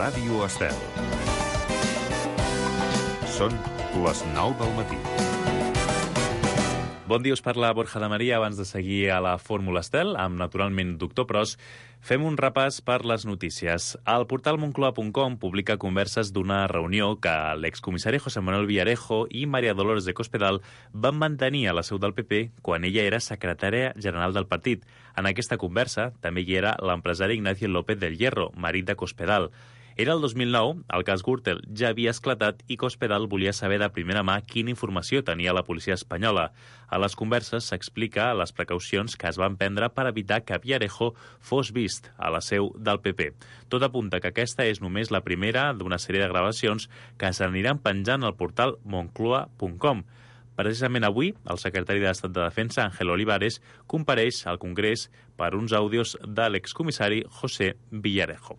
Ràdio Estel. Són les 9 del matí. Bon dia, us parla Borja de Maria. Abans de seguir a la Fórmula Estel, amb naturalment Doctor Pros, fem un repàs per les notícies. El portal Moncloa.com publica converses d'una reunió que l'excomissari José Manuel Villarejo i María Dolores de Cospedal van mantenir a la seu del PP quan ella era secretària general del partit. En aquesta conversa també hi era l'empresari Ignacio López del Hierro, marit de Cospedal. Era el 2009, el cas Gürtel ja havia esclatat i Cospedal volia saber de primera mà quina informació tenia la policia espanyola. A les converses s'explica les precaucions que es van prendre per evitar que Villarejo fos vist a la seu del PP. Tot apunta que aquesta és només la primera d'una sèrie de gravacions que s'aniran penjant al portal Moncloa.com. Precisament avui, el secretari d'Estat de Defensa, Ángel Olivares, compareix al Congrés per uns àudios de l'excomissari José Villarejo.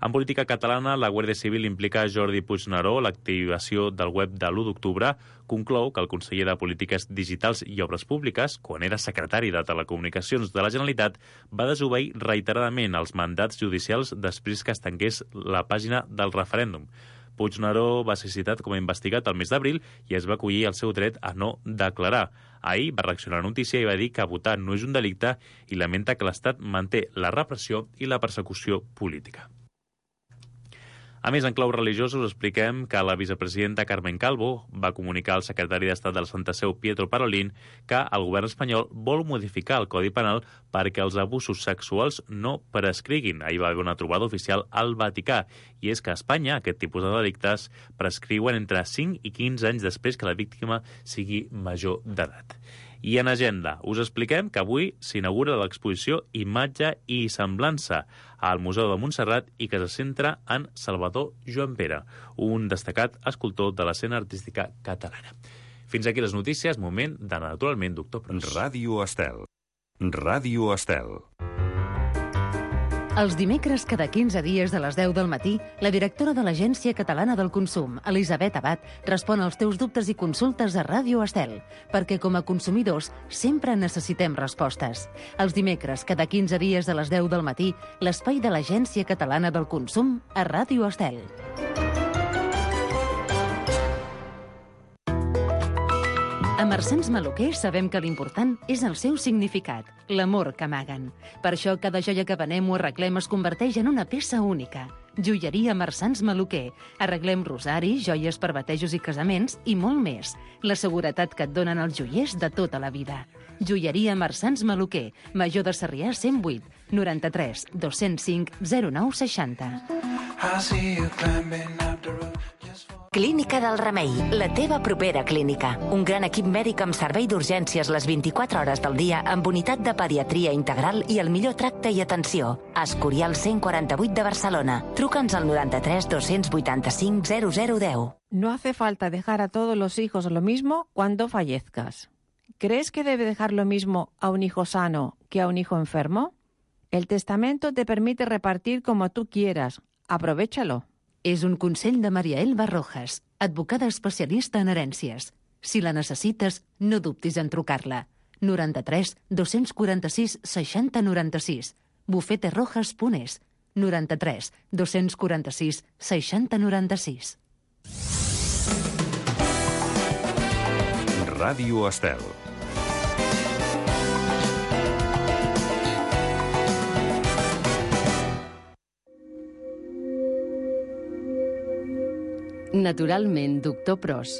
En política catalana, la Guàrdia Civil implica Jordi Puigneró. L'activació del web de l'1 d'octubre conclou que el conseller de Polítiques Digitals i Obres Públiques, quan era secretari de Telecomunicacions de la Generalitat, va desobeir reiteradament els mandats judicials després que es tanqués la pàgina del referèndum. Puigneró va ser citat com a investigat el mes d'abril i es va acollir el seu dret a no declarar. Ahir va reaccionar a la notícia i va dir que votar no és un delicte i lamenta que l'Estat manté la repressió i la persecució política. A més, en clau religiosos, expliquem que la vicepresidenta Carmen Calvo va comunicar al secretari d'Estat de la Santa Seu, Pietro Parolin, que el govern espanyol vol modificar el Codi Penal perquè els abusos sexuals no prescriguin. Ahir va haver una trobada oficial al Vaticà, i és que a Espanya aquest tipus de delictes prescriuen entre 5 i 15 anys després que la víctima sigui major d'edat. I en agenda, us expliquem que avui s'inaugura l'exposició Imatge i Semblança al Museu de Montserrat i que se centra en Salvador Joan Pere, un destacat escultor de l'escena artística catalana. Fins aquí les notícies, moment de naturalment Doctor Pros. Ràdio Estel. Ràdio Estel. Els dimecres, cada 15 dies de les 10 del matí, la directora de l'Agència Catalana del Consum, Elisabet Abad, respon als teus dubtes i consultes a Ràdio Estel, perquè com a consumidors sempre necessitem respostes. Els dimecres, cada 15 dies de les 10 del matí, l'espai de l'Agència Catalana del Consum a Ràdio Estel. A Marsans Maluquer sabem que l'important és el seu significat, l'amor que amaguen. Per això cada joia que venem o arreglem es converteix en una peça única. Joieria Marsans Maluquer. Arreglem rosaris, joies per batejos i casaments i molt més. La seguretat que et donen els joiers de tota la vida. Joieria Marsans Maluquer. Major de Sarrià 108 93 205 09 60. Clínica del Remei, la teva propera clínica. Un gran equip mèdic amb servei d'urgències les 24 hores del dia amb unitat de pediatria integral i el millor tracte i atenció. Escorial 148 de Barcelona. Truca'ns al 93 285 0010. No hace falta dejar a todos los hijos lo mismo cuando fallezcas. ¿Crees que debe dejar lo mismo a un hijo sano que a un hijo enfermo? El testamento te permite repartir como tú quieras. Aprovéchalo. És un consell de Maria Elba Rojas, advocada especialista en herències. Si la necessites, no dubtis en trucar-la. 93 246 60 96. bufeterojas.es. 93 246 60 96. Ràdio Estel. Naturalment, Doctor Pros.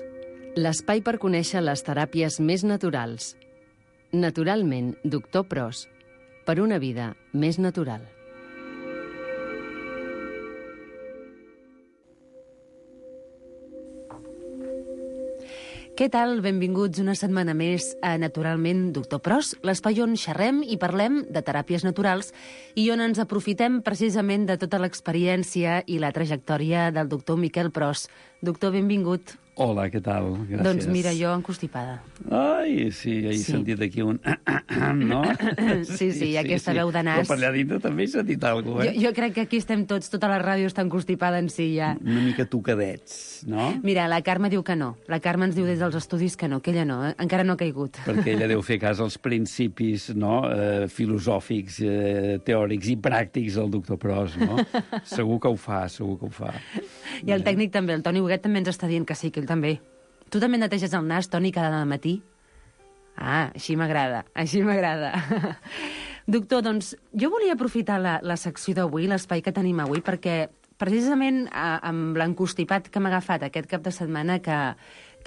L'espai per conèixer les teràpies més naturals. Naturalment, Doctor Pros. Per una vida més natural. Què tal? Benvinguts una setmana més a Naturalment Doctor Pros, l'espai on xerrem i parlem de teràpies naturals i on ens aprofitem precisament de tota l'experiència i la trajectòria del doctor Miquel Pros. Doctor, benvingut. Hola, què tal? Gràcies. Doncs mira, jo encostipada. Ai, sí, he sentit aquí un... no? Sí, aquesta veu de nas. Però per allà dintre també he sentit alguna cosa, Jo crec que aquí estem tots, tota la ràdio està encostipada en si ja. Una mica tocadets, no? Mira, la Carme diu que no. La Carme ens diu des dels estudis que no, que ella no, encara no ha caigut. Perquè ella deu fer cas als principis, no?, filosòfics, teòrics i pràctics del doctor Pros, no? Segur que ho fa. I el tècnic també, el Toni Huguet també ens està dient que sí, que ell també. Tu també neteges el nas, Toni, cada matí? Ah, així m'agrada. Doctor, doncs, jo volia aprofitar la secció d'avui, l'espai que tenim avui, perquè precisament amb l'encostipat que m'ha agafat aquest cap de setmana, que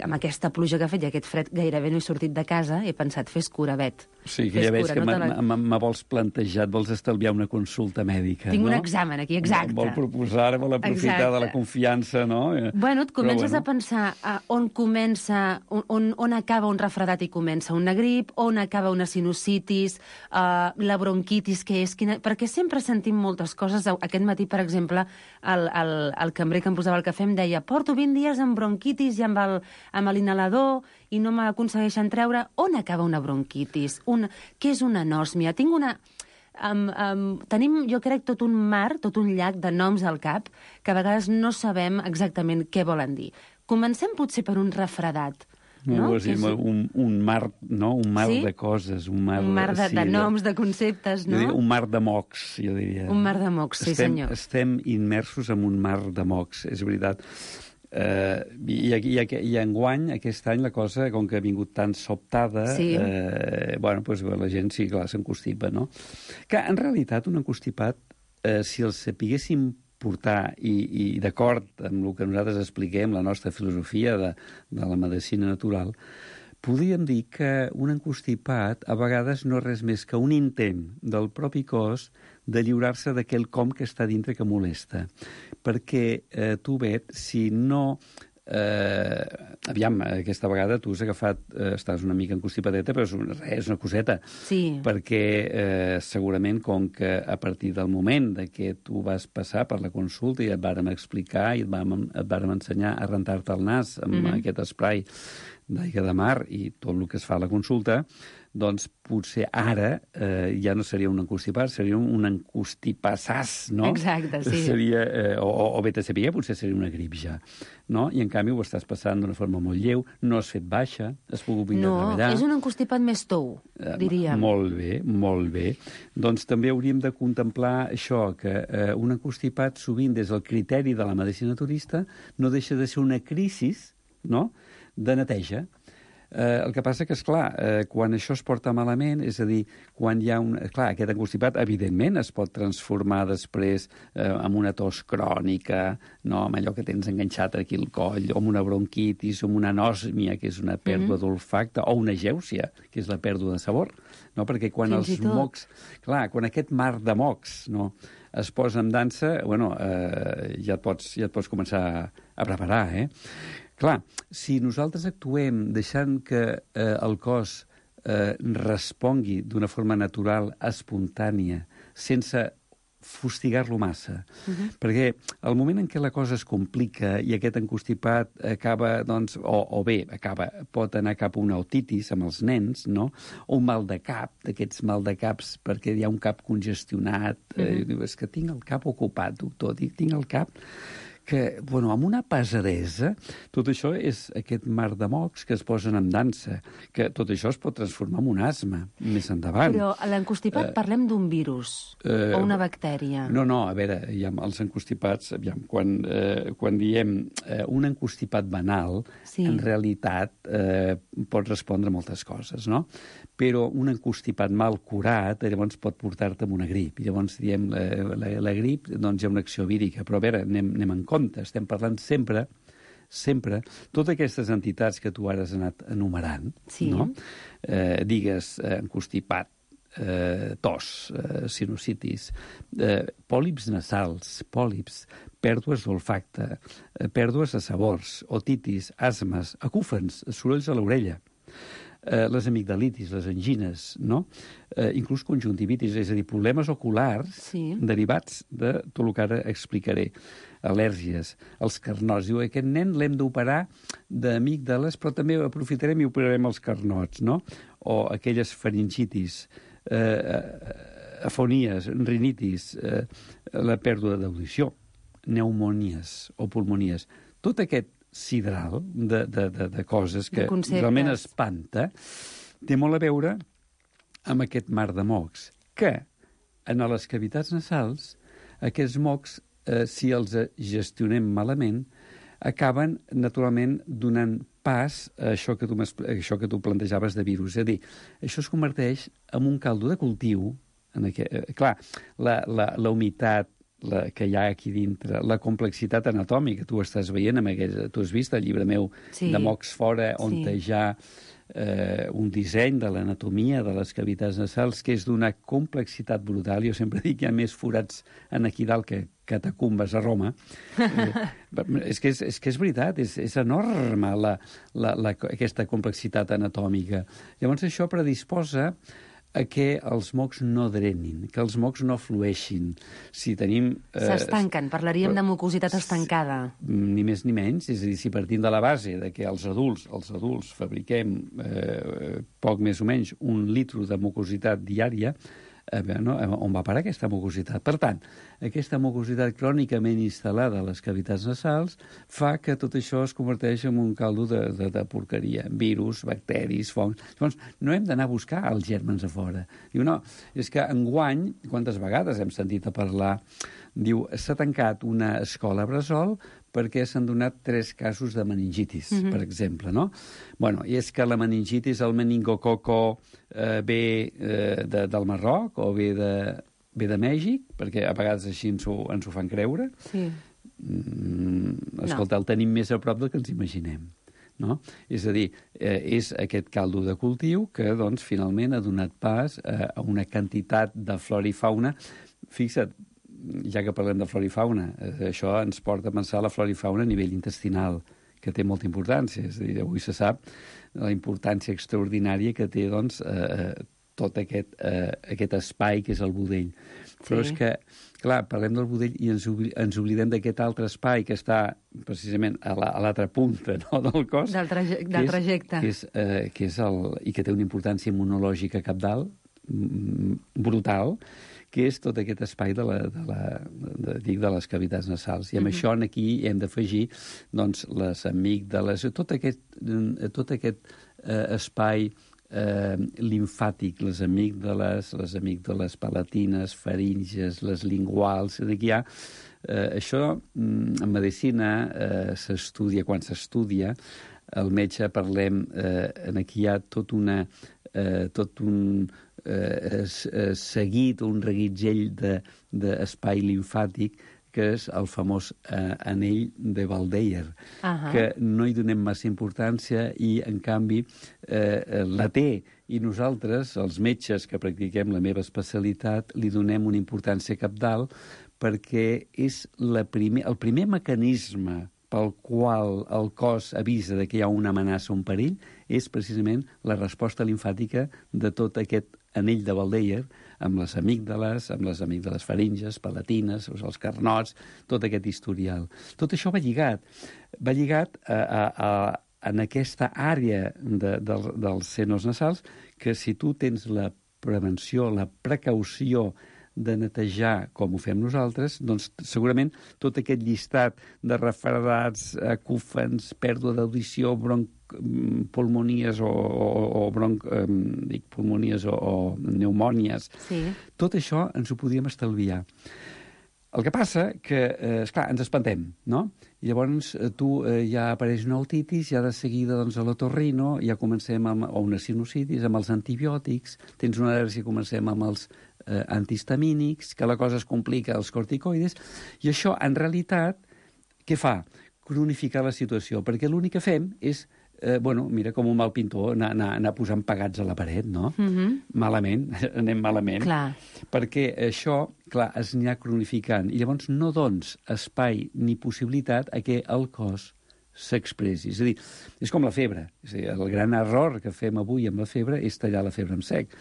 amb aquesta pluja que ha fet i aquest fred gairebé no he sortit de casa, he pensat, fes cura, Bet. Sí, que ja veig que me vols plantejat, vols estalviar una consulta mèdica, Tinc no? un examen aquí, exacte. Vol proposar, vol aprofitar de la confiança, no? Bueno, et comences a pensar on comença, on acaba un refredat i comença una grip, on acaba una sinusitis, la bronquitis, què és? Perquè sempre sentim moltes coses. Aquest matí, per exemple, el cambrer que em posava el cafè em deia porto 20 dies amb bronquitis i amb l'inhalador i no m'aconsegueixen treure. On acaba una bronquitis? Què és una anòsmia? Tenim, jo crec, tot un mar, tot un llac de noms al cap que a vegades no sabem exactament què volen dir. Comencem potser per un refredat. No? Un mar, no? Un mar de coses. Un mar de noms, de conceptes, no? Un mar de mocs, jo diria. Un mar de mocs, sí, senyor. Estem immersos en un mar de mocs, és veritat. I enguany, aquest any, la cosa, com que ha vingut tan sobtada, la gent sí, clar, s'encostipa, no? Que, en realitat, un encostipat, si el sapiguéssim portar i d'acord amb el que nosaltres expliquem, la nostra filosofia de la medicina natural, podríem dir que un encostipat a vegades no és res més que un intent del propi cos de lliurar-se d'aquell com que està dintre que molesta. Perquè tu, Bet, si no... aquesta vegada tu has agafat... estàs una mica encostipadeta, però és una coseta. Sí. Perquè segurament, com que a partir del moment de que tu vas passar per la consulta i et vàrem explicar i et vàrem ensenyar a rentar-te el nas amb aquest esprai d'aigua de mar i tot el que es fa a la consulta, doncs potser ara ja no seria un encostipat, seria un encostipassàs, no? Exacte, sí. Seria, o bé te sabia, potser seria una grip ja, no? I en canvi ho estàs passant d'una forma molt lleu, no has fet baixa, has pogut venir a treballar. No, és un encostipat més tou, diríem. Molt bé. Doncs també hauríem de contemplar això, que un encostipat sovint des del criteri de la medicina naturista no deixa de ser una crisi, no?, de neteja. El que passa que, esclar, quan això es porta malament, és a dir, quan hi ha aquest encostipat, evidentment, es pot transformar després en una tos crònica, no?, amb allò que tens enganxat aquí al coll, o amb una bronquitis, o amb una anòsmia, que és una pèrdua d'olfacte, o una gèusia, que és la pèrdua de sabor, no? Perquè quan els mocs... Clar, quan aquest mar de mocs, no?, es posa en dansa, ja et pots començar a preparar, Clar, si nosaltres actuem deixant que el cos respongui d'una forma natural, espontània, sense fustigar-lo massa, perquè al moment en què la cosa es complica i aquest encostipat acaba, doncs, pot anar cap a una otitis amb els nens, no?, o un mal de cap, d'aquests mal de caps perquè hi ha un cap congestionat, és que tinc el cap ocupat, doctor, tinc el cap... que, amb una pesadesa, tot això és aquest mar de mocs que es posen en dansa, que tot això es pot transformar en un asma més endavant. Però a l'encostipat parlem d'un virus o una bactèria. No, a veure, els encostipats, quan diem un encostipat banal, en realitat pot respondre a moltes coses, no? Però un encostipat mal curat llavors pot portar-te amb una grip. Llavors diem la grip, doncs hi ha una acció vírica, però a veure, anem en compte, estem parlant sempre, totes aquestes entitats que tu ara has anat enumerant, no? Digues encostipat, tos, sinusitis, pòlips nasals, pèrdues d'olfacte, pèrdues de sabors, otitis, asmes, acúfens, sorolls a l'orella, les amigdalitis, les angines, no? Inclús conjuntivitis, és a dir, problemes oculars derivats de tot el que ara explicaré. Al·lèrgies, els carnots. Diu, aquest nen l'hem d'operar d'amígdales, però també aprofitarem i operarem els carnots, no? O aquelles faringitis, afonies, rinitis, la pèrdua d'audició, pneumonies o pulmonies. Tot aquest sidral de coses que realment espanta té molt a veure amb aquest mar de mocs, que en les cavitats nasals aquests mocs, si els gestionem malament, acaben naturalment donant pas a això que tu plantejaves de virus. És a dir, això es converteix en un caldo de cultiu. Clar, la humitat que hi ha aquí dintre, la complexitat anatòmica, tu estàs veient, tu has vist el llibre meu de mocs fora, on hi ha un disseny de l'anatomia de les cavitats nasals que és d'una complexitat brutal. Jo sempre dic que hi ha més forats aquí dalt que catacumbes a Roma. És que és veritat, és enorme aquesta complexitat anatòmica. Llavors això predisposa a que els mocs no drenin, que els mocs no flueixin. Si tenim... S'estanquen, parlaríem de mucositat estancada. Ni més ni menys, és a dir, si partim de la base de que els adults fabriquem poc més o menys 1 litre de mucositat diària, on va parar aquesta mucositat? Per tant, aquesta mucositat crònicament instal·lada a les cavitats nasals fa que tot això es converteix en un caldo de porqueria. Virus, bacteris, fongs... Llavors, no hem d'anar a buscar els gèrmens a fora. Diu, no, és que enguany, quantes vegades hem sentit a parlar, diu, s'ha tancat una escola bressol perquè s'han donat 3 casos de meningitis, per exemple, no? Bueno, i és que la meningitis, el meningococo, ve del Marroc o ve de Mèxic, perquè a vegades així ens ho fan creure. Sí. Escolta, el tenim més a prop del que ens imaginem. No? És a dir, és aquest caldo de cultiu que, doncs, finalment ha donat pas a una quantitat de flora i fauna. Fixa't, ja que parlem de flora i fauna, això ens porta a pensar la flora i fauna a nivell intestinal, que té molta importància. És a dir, avui se sap la importància extraordinària que té, doncs, tot aquest espai que és el budell. Però és que, clar, parlem del budell i ens oblidem d'aquest altre espai que està precisament a l'altra punta, no, del cos. Del trajecte. I que té una importància immunològica cabdal, brutal, que és tot aquest espai de les cavitats nasals. I amb això aquí hem d'afegir, doncs, les amígdales, tot aquest espai limfàtic, les amígdales palatines, faringes, les linguals. Aquí hi ha això, en medicina s'estudia, quan s'estudia, el metge parlem, aquí hi ha tot un seguit, un reguitzell d'espai limfàtic, que és el famós anell de Waldeyer, que no hi donem massa importància i, en canvi, la té. I nosaltres, els metges que practiquem la meva especialitat, li donem una importància cabdal perquè és el primer mecanisme pel qual el cos avisa que hi ha una amenaça o un perill és precisament la resposta limfàtica de tot aquest anell de Waldeyer, amb les amígdales faringes, palatines, els carnots, tot aquest historial. Tot això va lligat en aquesta àrea dels senos nasals, que si tu tens la prevenció, la precaució de netejar com ho fem nosaltres, doncs segurament tot aquest llistat de refredats, acúfens, pèrdua d'audició, pulmonies o pneumònies, tot això ens ho podíem estalviar. El que passa que, esclar, ens espantem, no? I llavors ja apareix una otitis, ja de seguida a l'otorrino, ja comencem o una sinusitis, amb els antibiòtics, tens una al·lèrgia, comencem amb els antihistamínics, que la cosa es complica, els corticoides, i això, en realitat, què fa? Cronificar la situació, perquè l'únic que fem és, mira, com un mal pintor, anar posant pegats a la paret, no? Malament, anem malament. Clar. Perquè això, clar, es anirà cronificant, i llavors no dones espai ni possibilitat a que el cos s'expressi. És a dir, és com la febre. És a dir, el gran error que fem avui amb la febre és tallar la febre en sec.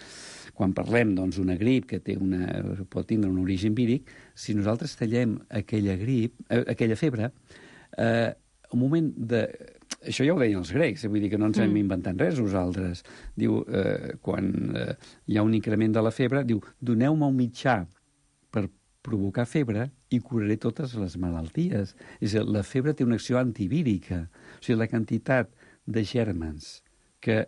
Quan parlem d'una grip que pot tindre un origen víric, si nosaltres tallem aquella febre, un moment de... Això ja ho deien els grecs, vull dir que no ens hem inventat res nosaltres. Diu, quan hi ha un increment de la febre, diu, doneu-me un mitjà per provocar febre i curaré totes les malalties. És a dir, la febre té una acció antivírica. O sigui, la quantitat de gèrmens que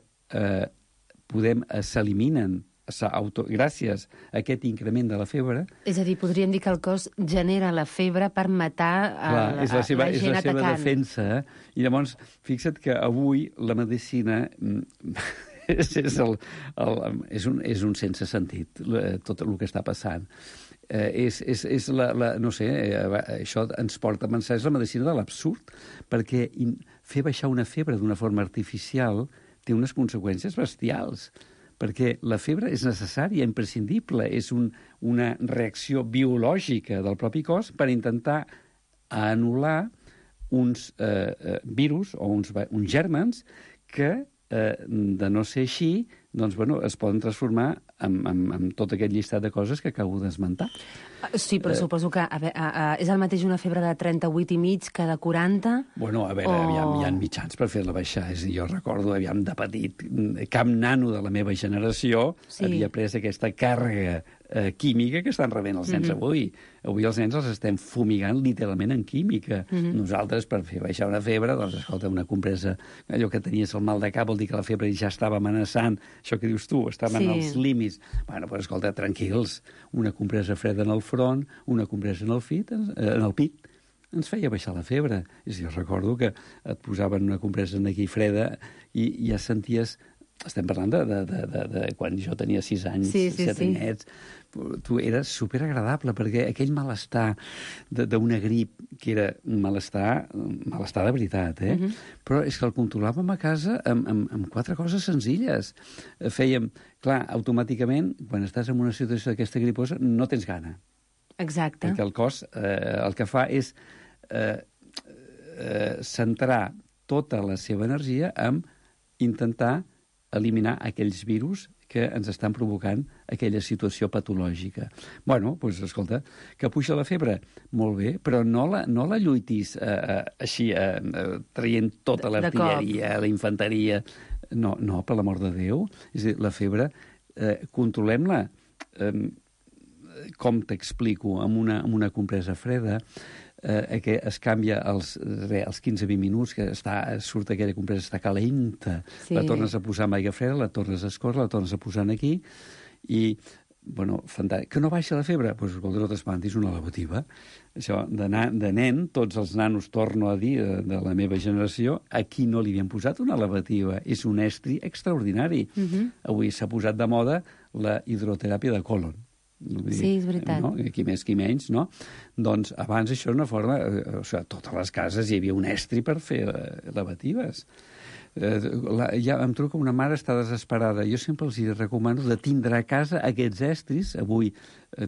s'eliminen gràcies a aquest increment de la febre... És a dir, podríem dir que el cos genera la febre per matar la gent atacant. És la seva defensa. I llavors, fixa't que avui la medicina és un sense sentit, tot el que està passant. No sé, això ens porta a pensar, és la medicina de l'absurd, perquè fer baixar una febre d'una forma artificial té unes conseqüències bestials, perquè la febre és necessària, imprescindible, és una reacció biològica del propi cos per intentar anul·lar uns virus o uns gèrmens que, de no ser així, doncs, bueno, es poden transformar en tot aquest llistat de coses que acabo d'esmentar. Sí, però suposo que és el mateix una febre de 38,5 que de 40? Bueno, a veure, hi ha mitjans per fer-la baixar. És a dir, jo recordo, de petit, cap nano de la meva generació havia pres aquesta càrrega química que estan rebent els nens avui. Avui els nens els estem fumigant literalment en química. Nosaltres, per fer baixar una febre, doncs, escolta, una compresa, allò que tenies el mal de cap vol dir que la febre ja estava amenaçant, això que dius tu, estava en els límits. Bueno, doncs, escolta, tranquils, una compresa freda en el front, una compresa en el pit, ens feia baixar la febre. És a dir, jo recordo que et posaven una compresa aquí freda i ja senties... Estem parlant de quan jo tenia 6 anys, 7 anyets. Tu eres superagradable, perquè aquell malestar d'una grip, que era un malestar de veritat, però és que el controlàvem a casa amb 4 coses senzilles. Fèiem, clar, automàticament, quan estàs en una situació d'aquesta griposa, no tens gana. Exacte. Perquè el cos el que fa és centrar tota la seva energia en intentar eliminar aquells virus que ens estan provocant aquella situació patològica. Bueno, doncs, escolta, que puja la febre, molt bé, però no la lluitis així, traient tota l'artilleria, la infanteria. No, per l'amor de Déu. És a dir, la febre, controlem-la. Com t'explico? Amb una compresa freda, que es canvia als 15-20 minuts, que surt aquella compresa, està calenta, la tornes a posar amb aigua freda, la tornes a escórrer, la tornes a posar aquí, i, bueno, fantàstic. Que no baixa la febre? Doncs, escolta, no t'espantis, una lavativa. Això, de nen, tots els nanos, torno a dir, de la meva generació, aquí no li havien posat una lavativa. És un estri extraordinari. Avui s'ha posat de moda la hidroteràpia de colon. Sí, és veritat. No? Qui més, qui menys, no? Doncs abans això era una forma... O sigui, a totes les cases hi havia un estri per fer lavatives. Ja em trobo que una mare està desesperada. Jo sempre els recomano de tindre a casa aquests estris. Avui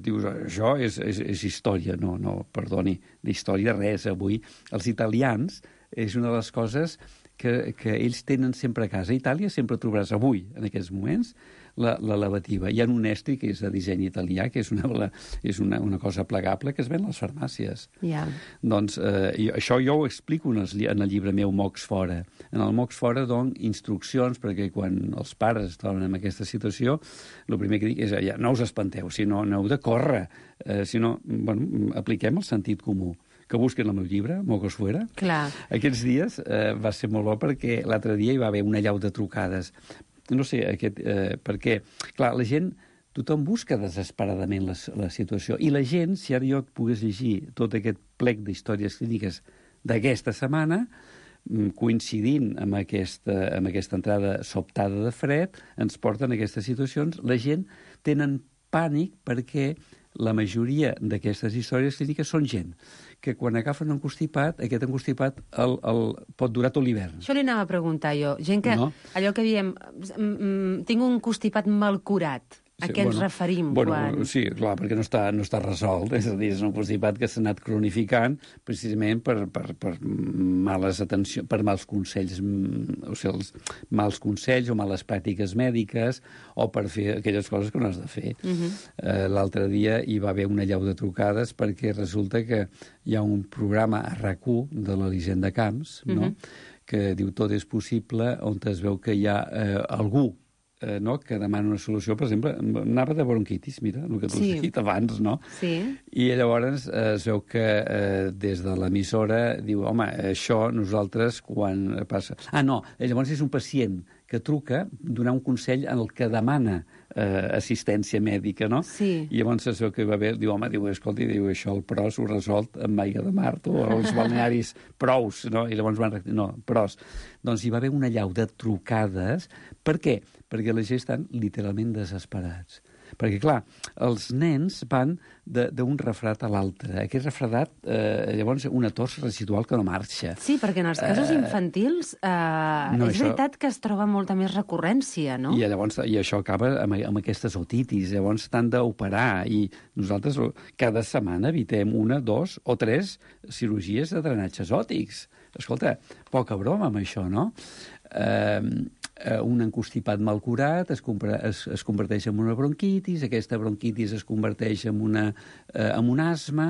dius, això és història. No, perdoni, d'història res. Avui els italians és una de les coses que ells tenen sempre a casa. A Itàlia sempre trobaràs avui, en aquests moments, la lavativa. Hi ha un estri que és de disseny italià, que és una cosa plegable que es ven a les farmàcies. Doncs això jo ho explico en el llibre meu Mocs Fora. En el Mocs Fora dono instruccions perquè quan els pares es troben en aquesta situació, el primer que dic és no us espanteu, sinó no heu de córrer, sinó apliquem el sentit comú. Que busquen el meu llibre, Mocos Fuera. Clar. Aquests dies va ser molt bo perquè l'altre dia hi va haver una llau de trucades. No sé, perquè, clar, la gent, tothom busca desesperadament la situació. I la gent, si ara jo pogués llegir tot aquest plec d'històries clíniques d'aquesta setmana, coincidint amb aquesta entrada sobtada de fred, ens porten a aquestes situacions. La gent tenen pànic perquè la majoria d'aquestes històries clíniques són gent que quan agafen un constipat, aquest constipat pot durar tot l'hivern. Això li anava a preguntar jo. Gent que, allò que diem, tinc un constipat mal curat. A què ens referim quan... Sí, clar, perquè no està resolt. És a dir, és un constipat que s'ha anat cronificant precisament per males atencions, per mals consells, o sigui, els mals consells o males pràctiques mèdiques, o per fer aquelles coses que no has de fer. L'altre dia hi va haver una allau de trucades perquè resulta que hi ha un programa a RAC1 de l'Elisenda Camps, no?, que diu Tot és possible, on es veu que hi ha algú que demana una solució, per exemple, anava de bronquitis, mira, el que tu has dit abans, no? Sí. I llavors es veu que des de l'emissora diu, home, això nosaltres quan passa... No, llavors és un pacient que truca donar un consell en el que demana assistència mèdica, no? Sí. I llavors es veu que va haver, diu, home, escolta, això el PROS ho resolt amb aigua de mar o els balnearis prous, no? I llavors van... No, PROS. Doncs hi va haver una allau de trucades. Per què? Perquè la gent estan literalment desesperats. Perquè, clar, els nens van d'un refredat a l'altre. Aquest refredat, llavors, una tos residual que no marxa. Sí, perquè en els casos infantils és veritat que es troba molta més recurrència, no? I llavors això acaba amb aquestes otitis. Llavors t'han d'operar i nosaltres cada setmana evitem 1, 2 o 3 cirurgies de drenatges òtics. Escolta, poca broma amb això, no? Un encostipat mal curat es converteix en una bronquitis, aquesta bronquitis es converteix en un asma,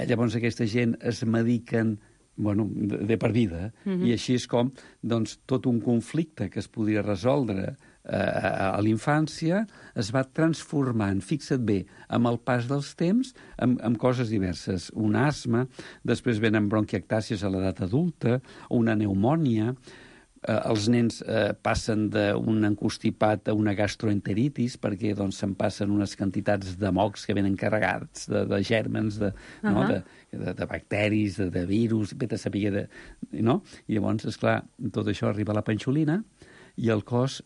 llavors aquesta gent es mediquen de per vida, i així és com tot un conflicte que es podria resoldre a l'infància es va transformant, fixa't bé, amb el pas dels temps, amb coses diverses. Un asma, després venen bronquiectàcies a l'edat adulta, una pneumònia. Els nens passen d'un encostipat a una gastroenteritis perquè se'n passen unes quantitats de mocs que venen carregats de gèrmens, de bacteris, de virus, vete a saber, no? I llavors, esclar, tot això arriba a la panxolina i el cos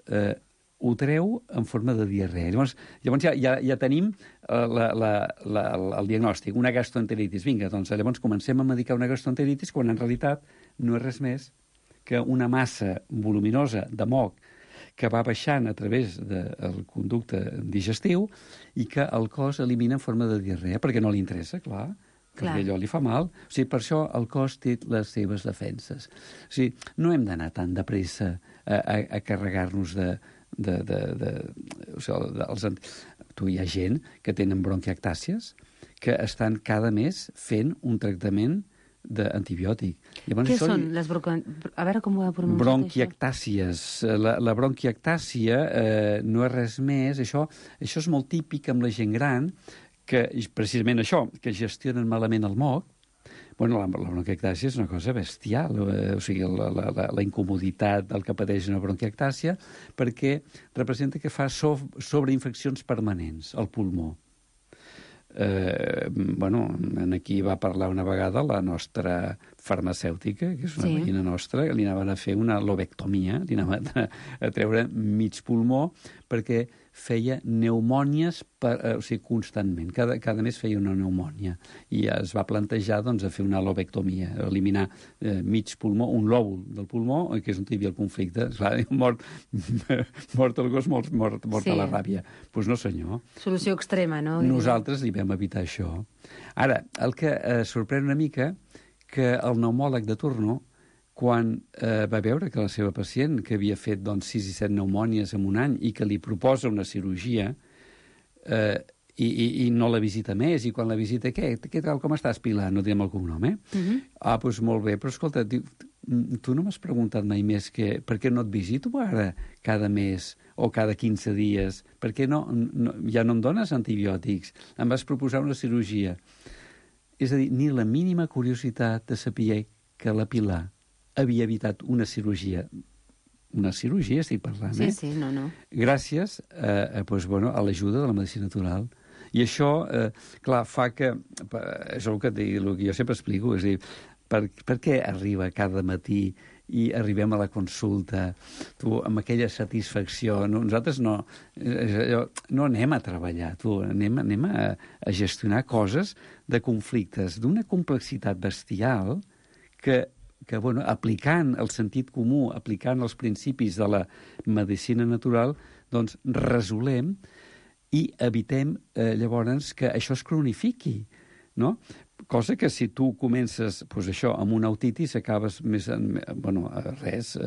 ho treu en forma de diarrea. Llavors ja tenim el diagnòstic, una gastroenteritis. Vinga, doncs llavors comencem a medicar una gastroenteritis quan en realitat no és res més que una massa voluminosa de moc que va baixant a través del conducte digestiu i que el cos elimina en forma de diarrea, perquè no li interessa, clar, perquè allò li fa mal. O sigui, per això el cos té les seves defenses. O sigui, no hem d'anar tan de pressa a carregar-nos Tu, hi ha gent que tenen bronquiectàcies que estan cada mes fent un tractament d'antibiòtic. Què són les a veure com ho he pronunciat, bronquiectàcies. La bronquiectàcia no és res més. Això és molt típic amb la gent gran, que precisament això, que gestionen malament el moc. La bronquiectàcia és una cosa bestial, o sigui, la incomoditat del que pateix una bronquiectàcia, perquè representa que fa sobreinfeccions permanents al pulmó. Aquí va parlar una vegada la nostra farmacèutica, que és una veïna nostra, que li anaven a fer una lobectomia, li anaven a treure mig pulmó perquè feia pneumònies constantment. Cada mes feia una pneumònia. I es va plantejar a fer una lobectomia, eliminar mig pulmó, un lòbul del pulmó, que és on hi havia el conflicte. Clar, mort el gos, mort a la ràbia. Doncs no, senyor. Solució extrema, no? Nosaltres li vam evitar això. Ara, el que sorprèn una mica que el pneumòleg de turno, quan va veure que la seva pacient, que havia fet 6 i 7 pneumònies en un any i que li proposa una cirurgia i no la visita més, i quan la visita, què tal, com estàs, Pilar? No diem el cognom, Doncs molt bé, però escolta, tu no m'has preguntat mai més per què no et visito ara cada mes o cada 15 dies? Per què ja no em dones antibiòtics? Em vas proposar una cirurgia. És a dir, ni la mínima curiositat de saber que la Pilar havia evitat una cirurgia estic parlant, Sí, no. Gràcies a l'ajuda de la medicina natural. I això, clar, fa que... És el que jo sempre explico, és a dir, per què arriba cada matí i arribem a la consulta amb aquella satisfacció? Nosaltres no anem a treballar, anem a gestionar coses de conflictes d'una complexitat bestial que aplicant el sentit comú, aplicant els principis de la medicina natural, doncs resolem i evitem llavors que això es cronifiqui, no? Cosa que si tu comences això amb una autitis acabes més res.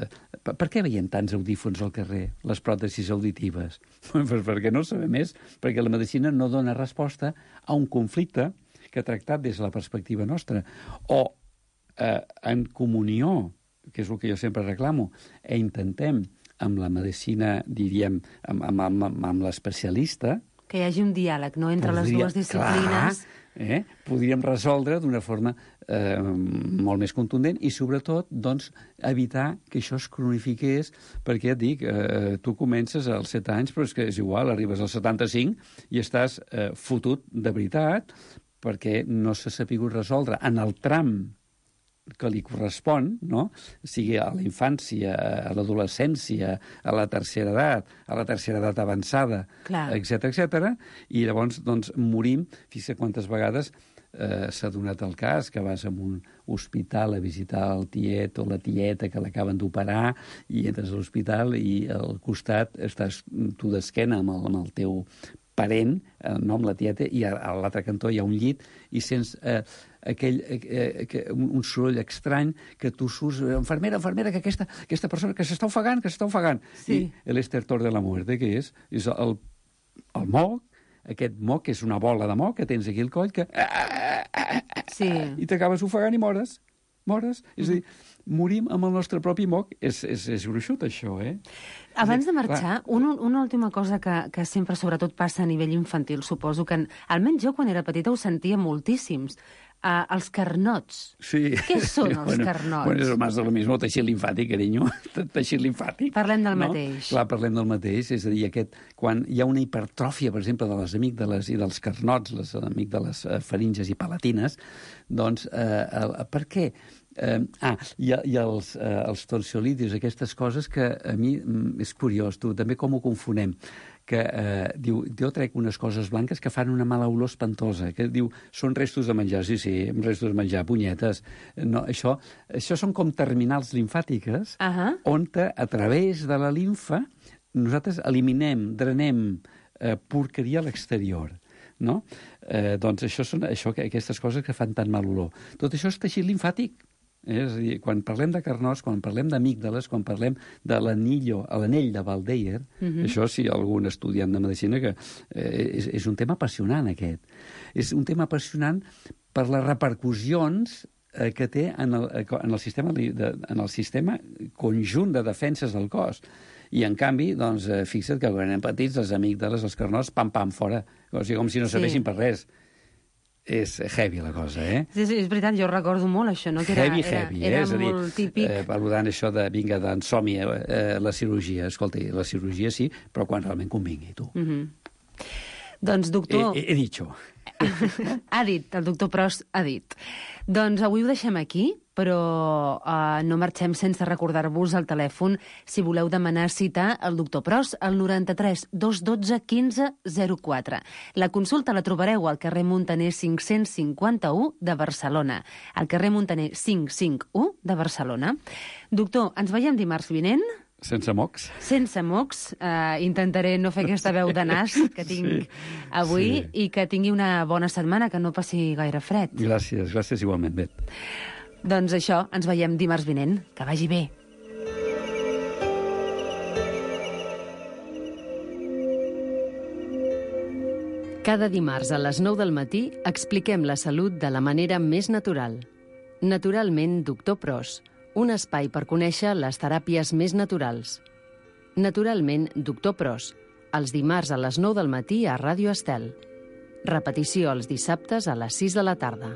Per què veiem tants audífons al carrer, les pròtesis auditives? Perquè no sabem més, perquè la medicina no dona resposta a un conflicte que ha tractat des de la perspectiva nostra. O en comunió, que és el que jo sempre reclamo, intentem amb la medicina, diríem, amb l'especialista... Que hi hagi un diàleg, no?, entre les dues disciplines. Clar, podríem resoldre d'una forma molt més contundent i, sobretot, doncs, evitar que això es cronifiqués, perquè, et dic, tu comences als 7 anys, però és que és igual, arribes als 75 i estàs fotut de veritat perquè no s'ha sapigut resoldre en el tram que li correspon, no? Sigui a la infància, a l'adolescència, a la tercera edat avançada, etc. I llavors doncs, morim. Fixa quantes vegades s'ha donat el cas que vas a un hospital a visitar el tiet o la tieta que l'acaben d'operar i entres a l'hospital i al costat estàs tu d'esquena amb el teu parent, no, amb la tieta, i a l'altre cantó hi ha un llit i sents un soroll estrany que tu surts, infermera, que aquesta persona que s'està ofegant. Sí. I l'estertor de la muerte, que és el moc, aquest moc, que és una bola de moc que tens aquí al coll, que... Sí. I t'acabes ofegant i mores. És a dir, morim amb el nostre propi moc. És gruixut, això, Abans de marxar, una última cosa que sempre, sobretot, passa a nivell infantil, suposo que, almenys jo, quan era petita, ho sentia moltíssims. Els carnots. Sí. Què són els carnots? Bueno, és más de lo mismo, teixit limfàtic, carinyo. Teixit limfàtic. Parlem del mateix. Clar, parlem del mateix. És a dir, quan hi ha una hipertròfia, per exemple, de les amígdales i dels carnots, les amígdales faringes i palatines, doncs, per què? I els tonsil·litis, aquestes coses que a mi és curiós, tu, també com ho confonem, que diu, jo trec unes coses blanques que fan una mala olor espantosa, que diu, són restos de menjar, sí, restos de menjar, punyetes. No, això són com terminals limfàtiques, on a través de la limfa nosaltres eliminem, drenem porqueria a l'exterior. No? Doncs això són aquestes coses que fan tan mal olor. Tot això és teixit limfàtic. És a dir, quan parlem de carnots, quan parlem d'amígdales, quan parlem de l'anell de Valdeyer, això sí, algun estudiant de medicina, que és un tema apassionant, aquest. És un tema apassionant per les repercussions que té en el sistema conjunt de defenses del cos. I, en canvi, doncs, fixa't que quan anem petits, les amígdales, els carnots, pam, fora. O sigui, com si no serveixin per res. És heavy, la cosa, Sí, és veritat, jo recordo molt això, no? Que heavy, era molt típic. Valorant això de, vinga, d'ensomni, la cirurgia. Escolta, la cirurgia sí, però quan realment convingui, tu. Doncs, doctor... He dit. Ha dit, el doctor Pros ha dit. Doncs avui ho deixem aquí, però no marxem sense recordar-vos el telèfon si voleu demanar cita al doctor Pros al 93 212 15 04. La consulta la trobareu al carrer Muntaner 551 de Barcelona. Al carrer Muntaner 551 de Barcelona. Doctor, ens veiem dimarts vinent? Sense mocs. Sense mocs. Intentaré no fer aquesta veu de nas que tinc avui i que tingui una bona setmana, que no passi gaire fred. Gràcies igualment, Bet. Doncs això, ens veiem dimarts vinent. Que vagi bé. Cada dimarts a les 9 del matí expliquem la salut de la manera més natural. Naturalment, doctor Pros. Un espai per conèixer les teràpies més naturals. Naturalment, doctor Pros. Els dimarts a les 9 del matí a Ràdio Estel. Repetició els dissabtes a les 6 de la tarda.